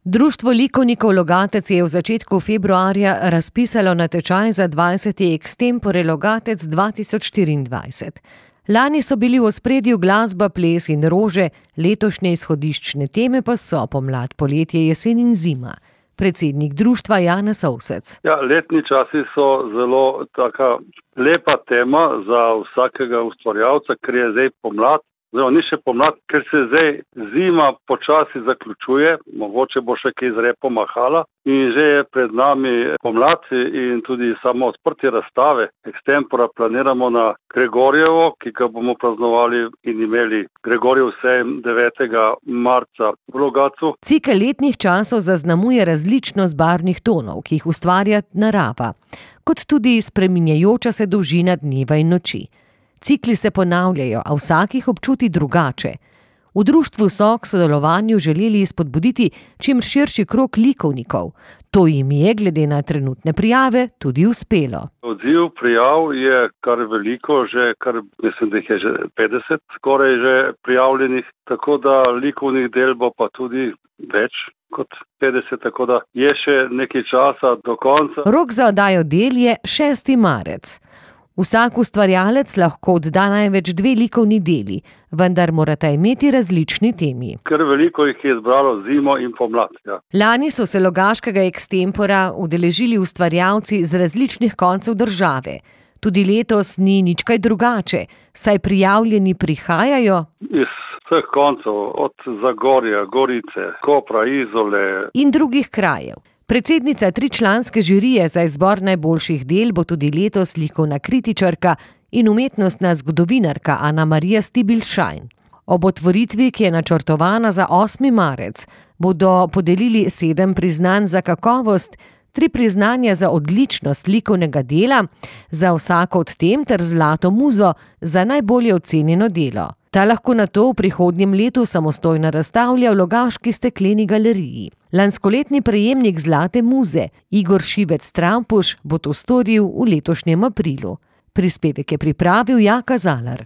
Društvo likovnikov Logatec je v začetku februarja razpisalo natečaj za 20. Extempore Logatec 2024. Lani so bili v ospredju glasba, ples in rože, letošnje izhodiščne teme pa so pomlad, poletje, jesen in zima. Predsednik društva Janez Ovsec. Letni časi so zelo taka lepa tema za vsakega ustvarjalca, ker je zdaj pomlad. Ni še pomlad, ker se zdaj zima počasi zaključuje, mogoče bo še kaj z repom mahala in že je pred nami pomlad in tudi samo odprtje razstave Extempora planiramo na Gregorjevo, ki ga bomo praznovali in imeli Gregorjev sejem 9. marca v Logatcu. Cikel letnih časov zaznamuje različnost barvnih tonov, ki jih ustvarja narava, kot tudi spreminjajoča se dolžina dneva in noči. Cikli se ponavljajo, a vsak jih občuti drugače. V društvu so k sodelovanju želeli spodbuditi čim širši krog likovnikov. To jim je, glede na trenutne prijave, tudi uspelo. Odziv prijav je kar veliko, mislim, da jih je že 50 skoraj že prijavljenih, tako da likovnih del bo pa tudi več kot 50, tako da je še nekaj časa do konca. Rok za oddajo del je 6. marec. Vsak ustvarjalec lahko odda največ 2 likovni deli, vendar morata imeti različni temi. Ker veliko jih je izbralo zimo in pomlad. Lani so se logaškega Extempora udeležili ustvarjalci z različnih koncev države. Tudi letos ni nič kaj drugače, saj prijavljeni prihajajo iz vseh koncev, od Zagorja, Gorice, Kopra, Izole in drugih krajev. Predsednica 3-članske žirije za izbor najboljših del bo tudi letos likovna kritičarka in umetnostna zgodovinarka Ana Marija Stibilšajn. Ob otvoritvi, ki je načrtovana za 8. marec, bodo podelili 7 priznanj za kakovost, 3 priznanja za odličnost likovnega dela, za vsako od tem ter zlato muzo za najbolje ocenjeno delo. Ta lahko nato v prihodnjem letu samostojno razstavlja v Logaški stekleni galeriji. Lanskoletni prejemnik zlate muze Igor Šivec Trampuš bo to storil v letošnjem aprilu. Prispevek je pripravil Jaka Zalar.